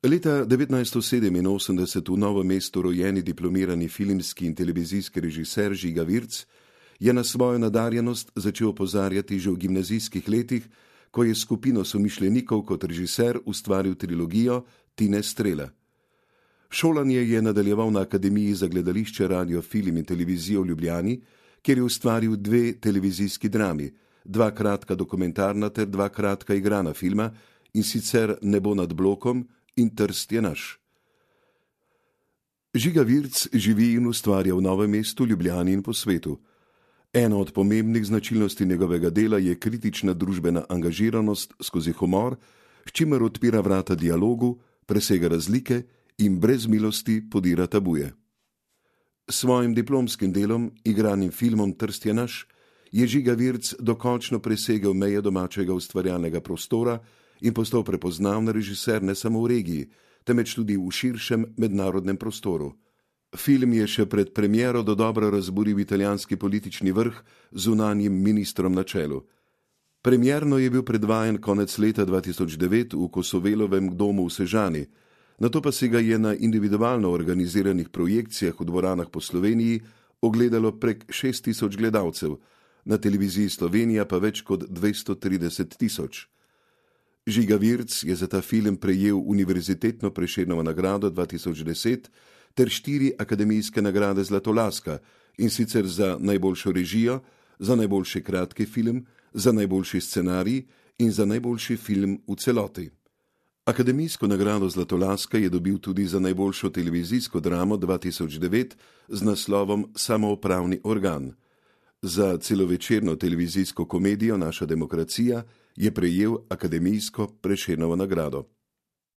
Leta 1987 v Novem mestu rojeni diplomirani filmski in televizijski režiser Žiga Virc je na svojo nadarjenost začel opozarjati že v gimnazijskih letih, ko je skupino somišljenikov kot režiser ustvaril trilogijo Tine Strele. Šolanje je nadaljeval na Akademiji za gledališče, radio, film in televizijo v Ljubljani, kjer je ustvaril 2 televizijski drami, 2 kratka dokumentarna ter 2 kratka igrana filma, in sicer Nebo nad blokom in Trst je naš. Žiga Virc živi in ustvarja v Novem mestu, Ljubljani in po svetu. Ena od pomembnih značilnosti njegovega dela je kritična družbena angažiranost skozi humor, s čimer odpira vrata dialogu, presega razlike in brez milosti podira tabuje. S svojim diplomskim delom, igranim filmom Trst je naš, je Žiga Virc dokončno presegel meje domačega ustvarjalnega prostora in postal prepoznaven režiser ne samo v regiji, temveč tudi v širšem mednarodnem prostoru. Film je še pred premiero dodobra razburil italijanski politični vrh z zunanjim ministrom na čelu. Premierno je bil predvajan konec leta 2009 v Kosovelovem domu v Sežani, nato pa si ga je na individualno organiziranih projekcijah v dvoranah po Sloveniji ogledalo prek 6.000 gledalcev, na televiziji Slovenija pa več kot 230.000. Žiga Virc je za ta film prejel Univerzitetno Prešernovo nagrado 2010 ter 4 akademijske nagrade Zlatolaska, in sicer za najboljšo režijo, za najboljši kratki film, za najboljši scenarij in za najboljši film v celoti. Akademijsko nagrado Zlatolaska je dobil tudi za najboljšo televizijsko dramo 2009 z naslovom Samoupravni organ. Za celovečerno televizijsko komedijo Naša demokracija je prejel Akademijsko Prešernovo nagrado.